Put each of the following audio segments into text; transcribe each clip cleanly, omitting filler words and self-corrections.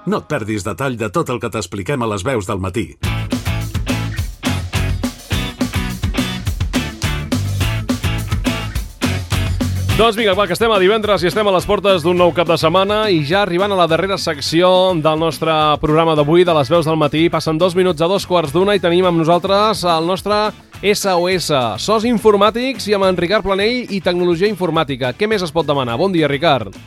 No et perdis detall de tot el que t'expliquem a les veus del matí. Doncs vinga, que estem a divendres i estem a les portes d'un nou cap de setmana i ja arribant a la darrera secció del nostre programa d'avui, de les veus del matí. Passen 2 minuts a 2:15 i tenim amb nosaltres el nostre SOS, SOS Informàtics, i amb en Ricard Planell i Tecnologia Informàtica. Què més es pot demanar? Bon dia, Ricard.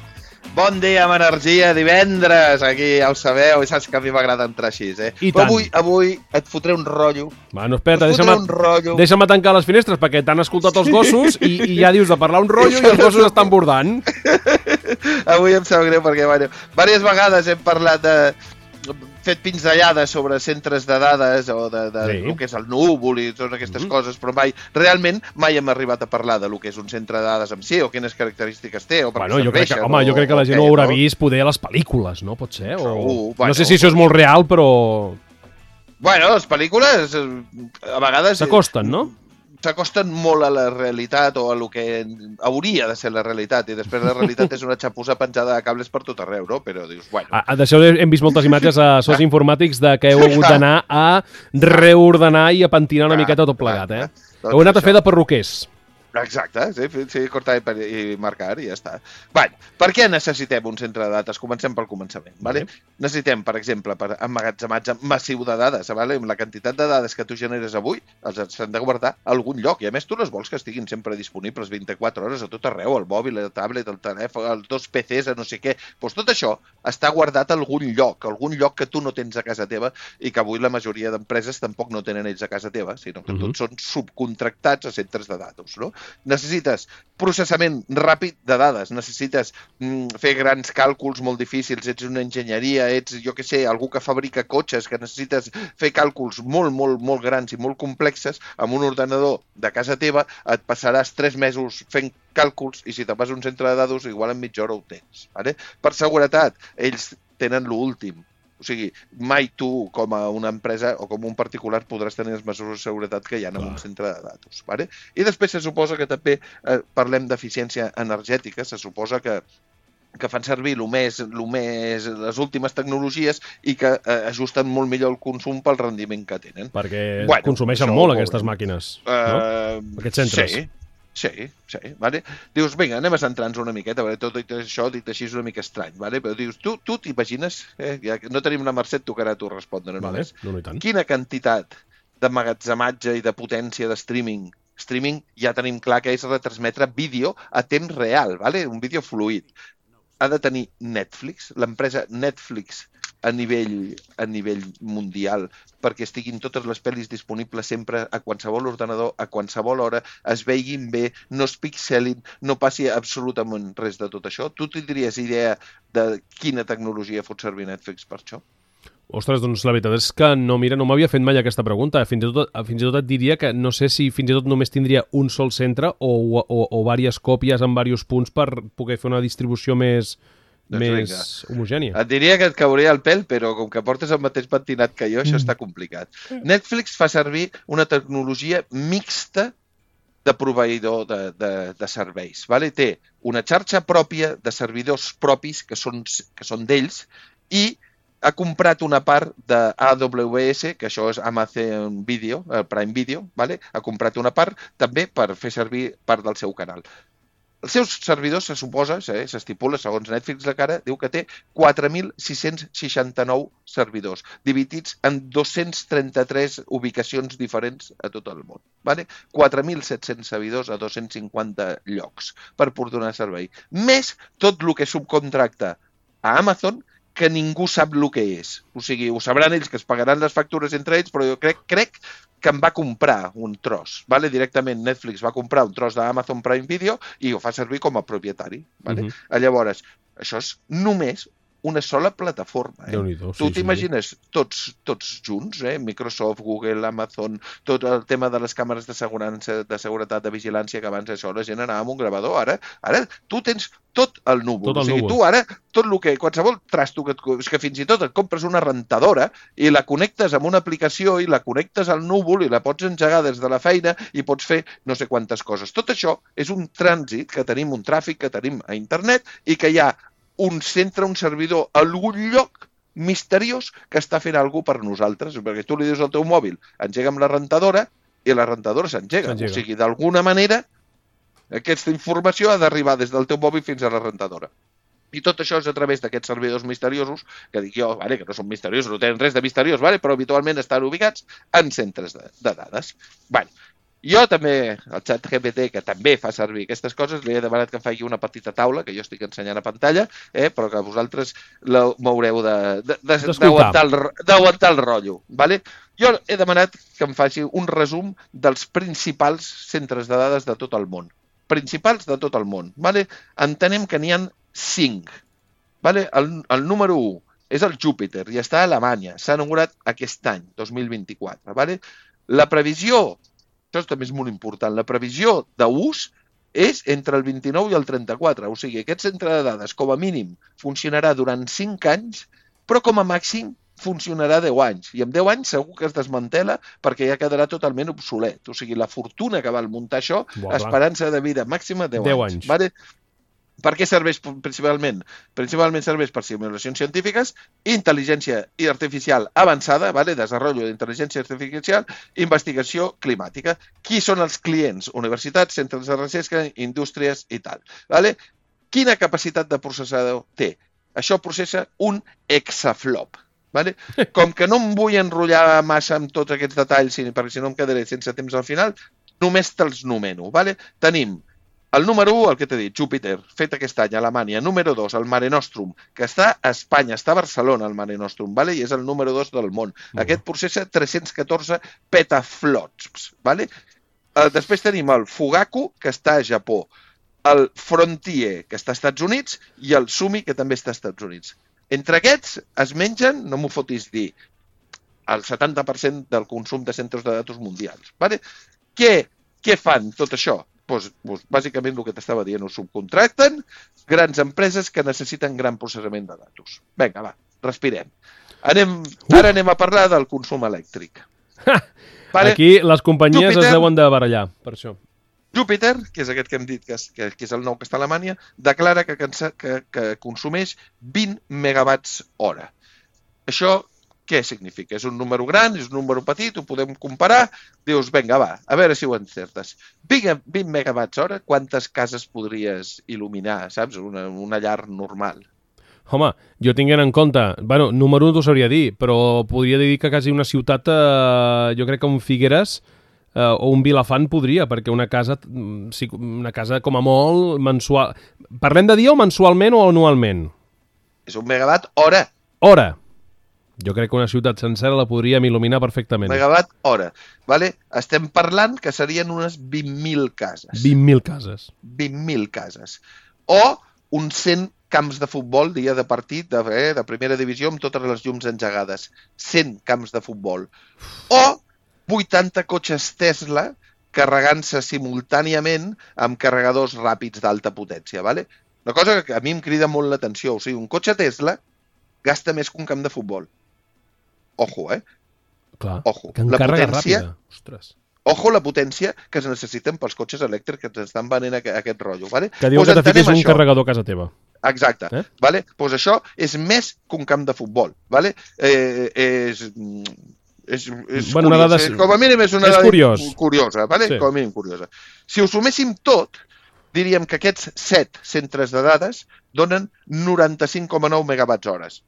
Bon dia, amb energia, divendres, aquí ja ho sabeu, i saps que a mi m'agrada entrar així, I Però tant. avui et fotré un rotllo. Bueno, espera, deixa'm tancar les finestres perquè t'han escoltat els gossos i ja dius de parlar un rotllo i els gossos estan bordant. Avui em sap greu perquè, diverses vegades hem parlat de... fet pinzellades sobre centres de dades o de el que és el núvol i totes aquestes coses, però realment mai hem arribat a parlar de lo que és un centre de dades en si o quines característiques té o per què serveixen. Jo crec que la gent ho haurà vist poder a les pel·lícules, no? Pot ser? Segur, no sé si això és molt real, però... Bueno, les pel·lícules a vegades... S'acosten, no? S'acosten molt a la realitat o a lo que hauria de ser la realitat, i després la realitat és una xapussa penjada de cables per tot arreu, no? Però dius, bueno... D'això hem vist moltes imatges a SOS Informàtics de que heu hagut d'anar a reordenar i a pentinar una miqueta tot plegat, eh? Heu anat a fer de perruquers. Exacte, sí, cortar i marcar i ja està. Per què necessitem un centre de dades? Comencem pel començament. Necessitem, per exemple, per emmagatzematge massiu de dades. La quantitat de dades que tu generes avui els has de guardar a algun lloc, i a més tu les vols que estiguin sempre disponibles 24 hores a tot arreu, el mòbil, el tablet, el telèfon, els 2 PCs, a no sé què. Doncs tot això està guardat a algun lloc que tu no tens a casa teva i que avui la majoria d'empreses tampoc no tenen ells a casa teva, sinó que tots són subcontractats a centres de dades, no? Necessites processament ràpid de dades, necessites fer grans càlculs molt difícils, ets una enginyeria, ets, jo què sé, algú que fabrica cotxes, que necessites fer càlculs molt grans i molt complexes, amb un ordenador de casa teva et passaràs 3 mesos fent càlculs i si te vas a un centre de dades igual en mitja hora ho tens. Per seguretat, ells tenen l'últim. O sigui, mai tu, com a una empresa o com un particular, podràs tenir les mesures de seguretat que hi ha en un centre de dades. I després se suposa que també parlem d'eficiència energètica, se suposa que fan servir les últimes tecnologies i que ajusten molt millor el consum pel rendiment que tenen. Perquè consumeixen molt aquestes màquines, no? Aquests centres. Sí. Dius, vinga, anem a centrar-nos una miqueta, tot això dit així és una mica estrany, però dius, tu t'imagines, no tenim una Mercè, et tocarà a tu respondre només. Quina quantitat d'emmagatzematge i de potència de streaming ja tenim clar que és retransmetre vídeo a temps real, un vídeo fluid. Ha de tenir Netflix, l'empresa Netflix a nivell mundial, perquè estiguin totes les pel·lis disponibles sempre a qualsevol ordenador, a qualsevol hora, es veiguin bé, no es pixelin, no passi absolutament res de tot això. Tu tindries idea de quina tecnologia fot servir Netflix per això? Ostres, doncs la veritat és que no m'havia fet mai aquesta pregunta. Fins i tot et diria que no sé si fins i tot només tindria un sol centre o diverses còpies en diversos punts per poder fer una distribució més homogènia. Et diria que et cauria el pèl, però com que portes el mateix pentinat que jo, això està complicat. Netflix fa servir una tecnologia mixta de proveïdor de serveis. Té una xarxa pròpia de servidors propis que són d'ells i ha comprat una part d'AWS, que això és Amazon Video, Prime Video, ha comprat una part també per fer servir part del seu canal. Els seus servidors, se suposa, s'estipula, segons Netflix la cara, diu que té 4.669 servidors, dividits en 233 ubicacions diferents a tot el món. 4.700 servidors a 250 llocs per donar servei. Més tot el que subcontracta a Amazon, que ningú sap el que és. O sigui, ho sabran ells, que es pagaran les factures entre ells, però jo crec que en va comprar un tros. Directament Netflix va comprar un tros d'Amazon Prime Video i ho fa servir com a propietari. Llavors, això és només una sola plataforma. Tu t'imagines tots junts, Microsoft, Google, Amazon, tot el tema de les càmeres de seguretat, de vigilància, que abans això la gent anava amb un gravador. Ara tu tens tot el núvol. O sigui, tu ara, tot el que, qualsevol trasto, és que fins i tot et compres una rentadora i la connectes amb una aplicació i la connectes al núvol i la pots engegar des de la feina i pots fer no sé quantes coses. Tot això és un trànsit que tenim, un tràfic que tenim a internet i que hi ha un centre, un servidor a algun lloc misteriós que està fent alguna per nosaltres, perquè tu li dius al teu mòbil, engega'm la rentadora, i la rentadora s'engega. O sigui, d'alguna manera, aquesta informació ha d'arribar des del teu mòbil fins a la rentadora. I tot això és a través d'aquests servidors misteriosos, que dic jo, que no són misteriosos, no tenen res de misteriós, però habitualment estan ubicats en centres de dades. Jo també, el ChatGPT, que també fa servir aquestes coses, li he demanat que em faci una petita taula, que jo estic ensenyant a pantalla, però que vosaltres m'haureu d'aguantar el rotllo. Jo he demanat que em faci un resum dels principals centres de dades de tot el món. Principals de tot el món. Entenem que n'hi ha 5. El número 1 és el Júpiter i està a Alemanya. S'ha inaugurat aquest any, 2024. La previsió, això també és molt important, la previsió d'ús és entre el 29 i el 34. O sigui, aquest centre de dades, com a mínim, funcionarà durant 5 anys, però com a màxim funcionarà 10 anys. I en 10 anys segur que es desmantela perquè ja quedarà totalment obsolet. O sigui, la fortuna que val muntar això, esperança de vida màxima 10 anys. Per què serveix principalment? Principalment serveix per simulacions científiques, intel·ligència artificial avançada, desenvolupament d'intel·ligència artificial, investigació climàtica. Qui són els clients? Universitats, centres de recerca, indústries i tal. Quina capacitat de processador té? Això processa un exaflop. Com que no em vull enrotllar massa amb tots aquests detalls, perquè si no em quedaré sense temps al final, només te'ls nomeno. Tenim el número 1, el que t'he dit, Júpiter, fet aquest any a Alemanya. Número 2, el Mare Nostrum, que està a Espanya, està a Barcelona, el Mare Nostrum, i és el número 2 del món. Aquest processa 314 petaflops. Després tenim el Fugaku, que està a Japó, el Frontier, que està als Estats Units, i el Sumi, que també està als Estats Units. Entre aquests es mengen, no m'ho fotis dir, el 70% del consum de centres de datos mundials. Què fan tot això? Bàsicament el que t'estava dient, ho subcontracten grans empreses que necessiten gran processament de datos. Vinga, respirem. Ara anem a parlar del consum elèctric. Aquí les companyies es deuen de barallar, per això. Júpiter, que és aquest que hem dit que és el nou que està a Alemanya, declara que consumeix 20 megawatts hora. Això què significa? És un número gran, és un número petit, ho podem comparar. Dius, vinga, a veure si ho encertes. 20 megawatts hora, quantes cases podries il·luminar, saps? Una llar normal. Home, jo tinguent en compte, número 1 t'ho sabria dir, però podria dir que quasi una ciutat, jo crec que un Figueres o un Vilafant podria, perquè una casa com a molt mensual... Parlem de dia o mensualment o anualment? És un megawatt hora. Hora. Jo crec que una ciutat sencera la podríem il·luminar perfectament. Megawatt hora. Estem parlant que serien unes 20.000 cases. 20.000 cases. 20.000 cases. O uns 100 camps de futbol, dia de partit, de primera divisió, amb totes les llums engegades. 100 camps de futbol. O 80 cotxes Tesla carregant-se simultàniament amb carregadors ràpids d'alta potència. Una cosa que a mi em crida molt l'atenció. O sigui, un cotxe Tesla gasta més que un camp de futbol. Ojo, Clar, ojo. Que en càrrega ràpida. Ostres. Ojo la potència que es necessiten pels cotxes elèctrics que ens estan venent aquest rotllo. Que diu que te fiquis un carregador a casa teva. Exacte. Doncs això és més que un camp de futbol. Com a mínim és una dada curiosa. Com a mínim curiosa. Si ho suméssim tot, diríem que aquests 7 centres de dades donen 95,9 megawatts hores.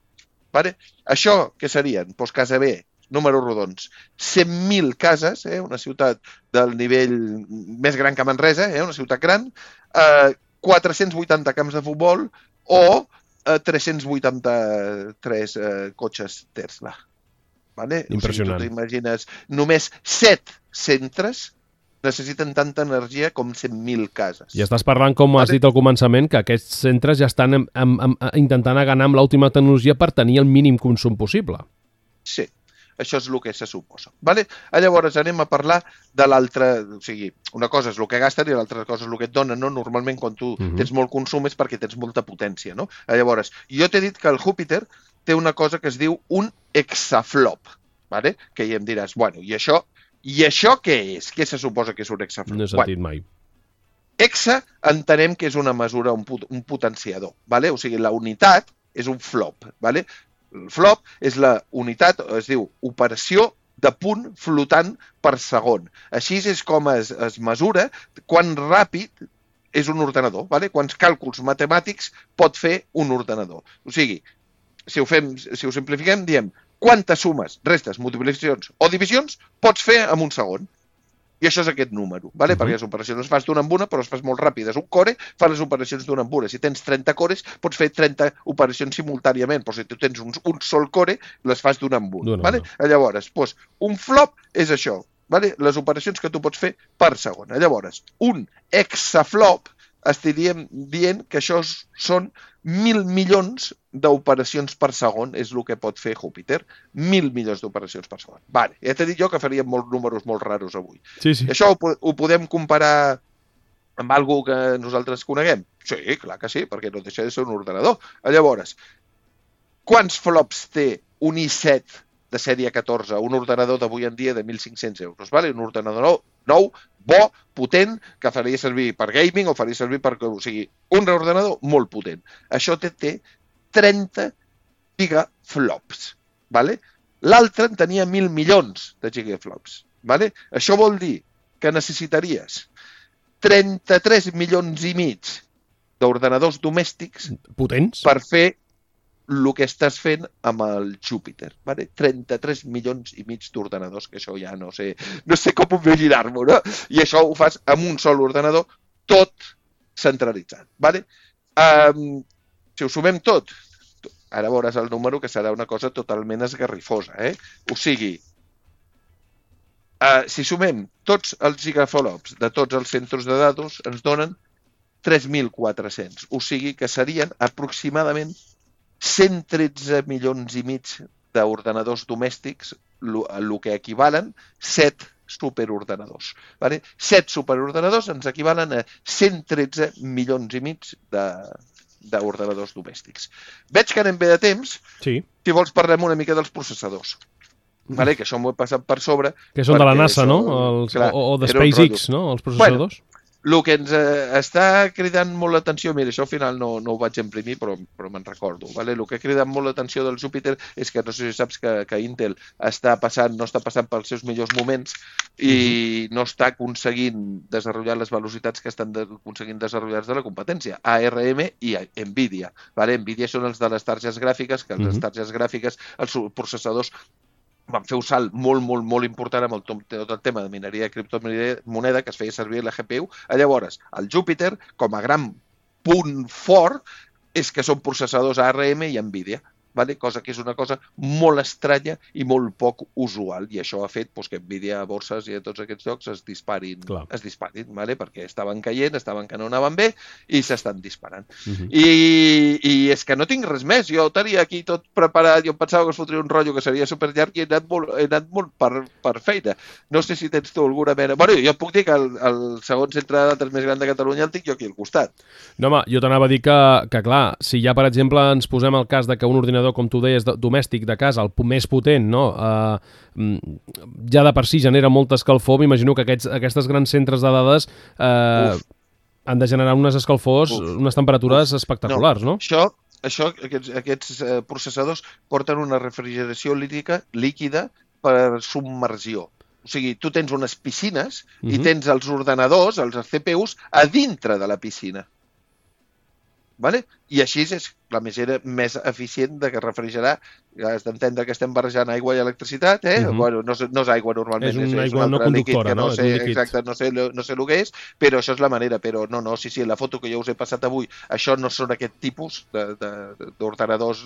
Això què serien? Doncs casa B, números rodons, 100.000 cases, una ciutat del nivell més gran que Manresa, una ciutat gran, 480 camps de futbol o 383 cotxes Tesla. Impressionant. O sigui, tu t'imagines, només 7 centres necessiten tanta energia com 100.000 cases. I estàs parlant, com has dit al començament, que aquests centres ja estan intentant aganar amb l'última tecnologia per tenir el mínim consum possible. Sí, això és el que se suposa. Llavors anem a parlar de l'altre... O sigui, una cosa és el que gasten i l'altra cosa és el que et donen. Normalment, quan tu tens molt consum és perquè tens molta potència. Llavors, jo t'he dit que el Júpiter té una cosa que es diu un exaflop. Que ja em diràs, i això... I això què és? Què se suposa que és un exaflop? No he sentit mai. Exa entenem que és una mesura, un potenciador. O sigui, la unitat és un flop. El flop és la unitat, es diu operació de punt flotant per segon. Així és com es mesura quan ràpid és un ordenador, vale? Quants càlculs matemàtics pot fer un ordenador. O sigui, si ho simplifiquem, diem quantes sumes, restes, multiplicacions o divisions pots fer en un segon. I això és aquest número, vale? Perquè les operacions les fas d'una en una, però les fas molt ràpides. Un core fa les operacions d'una en una. Si tens 30 cores, pots fer 30 operacions simultàniament, però si tu tens un sol core, les fas d'una en una. Vale? Llavors, un flop és això, vale? Les operacions que tu pots fer per segon. Llavors, un hexaflop estaríem dient que això són 1.000 milions d'operacions per segon, és el que pot fer Júpiter. 1.000 milions d'operacions per segon. Vale, ja t'he dit jo que faríem números molt raros avui. Sí. I això ho podem comparar amb alguna que nosaltres coneguem? Sí, clar que sí, perquè no deixa de ser un ordenador. Llavors, quants flops té un i7 de sèrie 14, un ordenador d'avui en dia de 1.500 euros? Vale? Un ordenador nou, bo, potent, que faria servir per gaming o faria servir per... O sigui, un ordenador molt potent. Això té 30 gigaflops. Vale? L'altre en tenia 1.000 milions de gigaflops. Vale? Això vol dir que necessitaries 33 milions i mig d'ordenadors domèstics potents per fer el que estàs fent amb el Júpiter. Vale? 33 milions i mig d'ordenadors, que això ja no sé com imaginar-m'ho, no? I això ho fas amb un sol ordenador, tot centralitzat. Vale? Si ho sumem tot, ara veuràs el número, que serà una cosa totalment esgarrifosa. O sigui, si sumem tots els gigaflops de tots els centres de dades, ens donen 3.400. O sigui que serien aproximadament 113 milions i mig d'ordenadors domèstics, el que equivalen 7 superordenadors. Vale? 7 superordenadors ens equivalen a 113 milions i mig d'ordenadors domèstics. Veig que anem bé de temps. Sí. Si vols parlem una mica dels processadors. Vale? Que això m'ho he passat per sobre. Que són de la NASA, no? O de SpaceX, no? Els processadors. Bueno, el que ens està cridant molt l'atenció, mira, això al final no ho vaig imprimir, però me'n recordo. Vale? El que ha cridat molt l'atenció del Júpiter és que no sé si saps que Intel no està passant pels seus millors moments i no està aconseguint desenvolupar les velocitats que estan aconseguint desenvolupar de la competència. ARM i Nvidia. Vale? Nvidia són els de les targetes gràfiques, que les targetes gràfiques, els processadors, van fer un salt molt important amb tot el tema de mineria i criptomoneda que es feia servir la GPU. Llavors, el Júpiter, com a gran punt fort, és que són processadors ARM i Nvidia. Vale? Cosa que és una cosa molt estranya i molt poc usual, i això ha fet que Nvidia a borses i a tots aquests llocs es disparin, vale? Perquè estaven caient, estaven que no anaven bé i s'estan disparant. I és que no tinc res més, jo tenia aquí tot preparat, jo pensava que es fotria un rotllo que seria superllarg i he anat molt per feina. No sé si tens tu alguna mena... Bueno, jo puc dir que el segon centre de dades més gran de Catalunya el tinc jo aquí al costat. No, home, jo t'anava a dir que clar, si ja, per exemple, ens posem el cas de que un ordinador, com tu deies, domèstic de casa, el més potent, no? Ja de per si genera molta escalfor, m'imagino que aquestes grans centres de dades han de generar unes escalfors, unes temperatures espectaculars, no? Aquests processadors porten una refrigeració líquida per submersió. O sigui, tu tens unes piscines i tens els ordenadors, els CPUs, a dintre de la piscina. Vale? I així és la manera més eficient de refrigerar. Has d'entendre que estem barrejant aigua i electricitat, Bueno, no és aigua normalment, és una aigua no conductora, no? Exacte, no sé el que és, però això és la manera. Però sí, la foto que jo us he passat avui, això no són aquest tipus d'ordenadors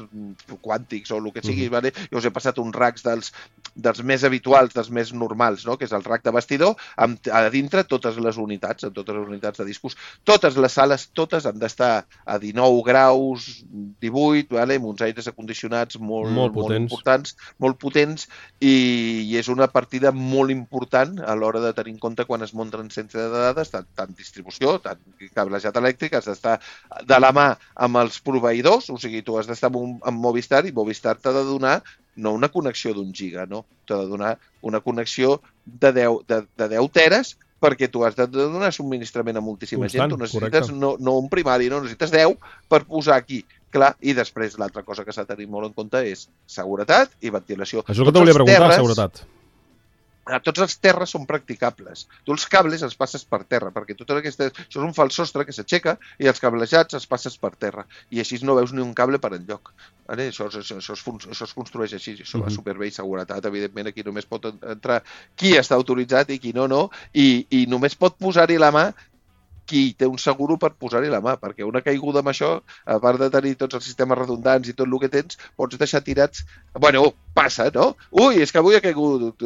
quàntics o el que sigui, vale? Jo us he passat uns racks dels més habituals, dels més normals, no? Que és el rack de vestidor, a dintre totes les unitats, de discos. Totes les sales, totes han d'estar a 19 graus, 18, vale? Amb uns aires acondicionats molt importants, molt potents, i és una partida molt important a l'hora de tenir en compte quan es munten centres de dades, tant distribució, tant cablejat elèctric, has d'estar de la mà amb els proveïdors, o sigui, tu has d'estar amb Movistar, i Movistar t'ha de donar no una connexió d'1 giga, no? T'ha de donar una connexió de 10 teres, perquè tu has de donar subministrament a moltíssima gent. Tu necessites no un primari, no, necessites 10 per posar aquí clar, i després l'altra cosa que s'ha de tenir molt en compte és seguretat i ventilació. Això és el que te volia preguntar, seguretat. Tots els terres són practicables. Tu els cables els passes per terra, perquè això és un fals sostre que s'aixeca i els cablejats els passes per terra. I així no veus ni un cable per enlloc. Vale? Això es construeix així, això va superbé i seguretat. Evidentment, aquí només pot entrar qui està autoritzat i qui no, i només pot posar-hi la mà qui té un seguro per posar-hi la mà, perquè una caiguda amb això, a part de tenir tots els sistemes redundants i tot el que tens, pots deixar tirats... Bueno, passa, no? Ui, és que avui ha caigut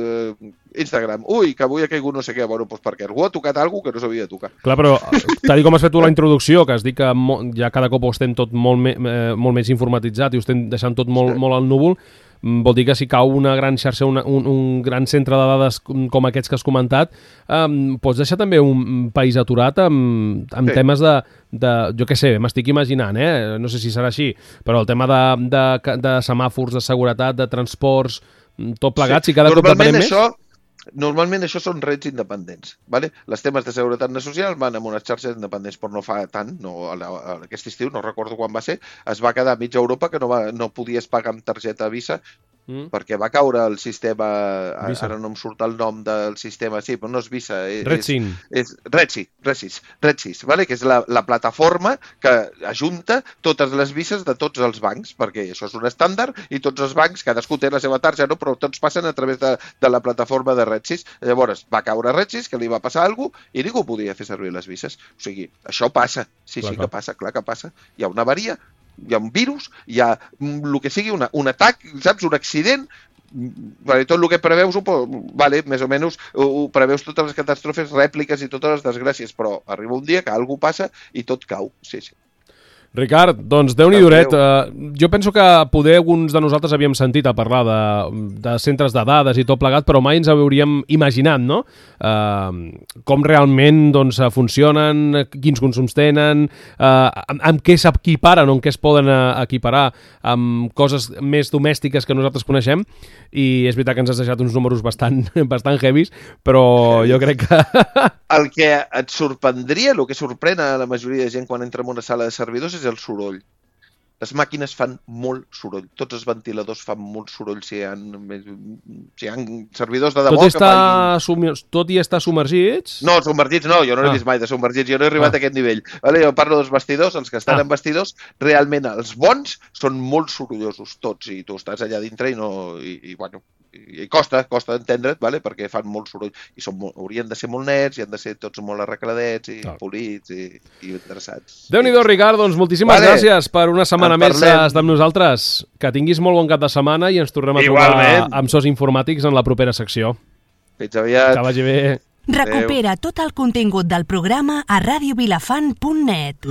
Instagram. Ui, que avui ha caigut no sé què. Bueno, doncs perquè algú ha tocat alguna cosa que no s'havia de tocar. Clar, però tal com has fet tu la introducció, que has dit que ja cada cop ho estem tot molt més informatitzat i ho estem deixant tot molt al núvol, vol dir que si cau una gran xarxa, un gran centre de dades com aquests que has comentat, pots deixar també un país aturat amb temes de, jo què sé, m'estic imaginant, no sé si serà així, però el tema de semàfors, de seguretat, de transports, tot plegat, si cada cop depenem més... Normalment això són rets independents. ¿Vale? Les temes de seguretat social van amb unes xarxes independents, però no fa tant, aquest estiu, no recordo quan va ser, es va quedar a mitja Europa que no podies pagar amb targeta Visa perquè va caure el sistema, Visa. Ara no em surt el nom del sistema, sí, però no és Visa. És Retsis, ¿vale? Que és la plataforma que ajunta totes les vises de tots els bancs, perquè això és un estàndard i tots els bancs, cadascú té la seva targeta, però tots passen a través de la plataforma de Retsis. Llavors va caure Retsis, que li va passar alguna cosa, i ningú podia fer servir les vises. O sigui, això passa, sí que passa, clar que passa. Hi ha una avaria, hi ha un virus, hi ha el que sigui, un atac, saps, un accident, tot el que preveus, més o menys ho preveus totes les catàstrofes, rèpliques i totes les desgràcies, però arriba un dia que alguna cosa passa i tot cau, sí. Ricard, doncs Déu-n'hi duret. Jo penso que poder alguns de nosaltres havíem sentit a parlar de centres de dades i tot plegat, però mai ens hauríem imaginat, no? Com realment funcionen, quins consums tenen, amb què s'equiparen o en què es poden equiparar amb coses més domèstiques que nosaltres coneixem, i és veritat que ens has deixat uns números bastant heavies, però jo crec que... El que et sorprendria, el que sorprèn a la majoria de gent quan entra en una sala de servidors és el soroll. Les màquines fan molt soroll. Tots els ventiladors fan molt soroll si hi ha servidors de debò Tot i estar submergits? No, submergits no, jo no he vist mai de submergits, jo no he arribat a aquest nivell. Vale? Jo parlo dels vestidors, els que estan en vestidors, realment els bons són molt sorollosos, tots, i tu estàs allà dintre i costa entendre't, vale? Perquè fan molt soroll i haurien de ser molt nets i han de ser tots molt arregladets i polits i interessats. Déu-n'hi-do, Ricard, doncs moltíssimes gràcies per una setmana més d'estar amb nosaltres. Que tinguis molt bon cap de setmana i ens tornem a trobar amb SOS Informàtics en la propera secció. Fins aviat. Que vagi bé. Recupera tot el contingut del programa a radiovilafant.net.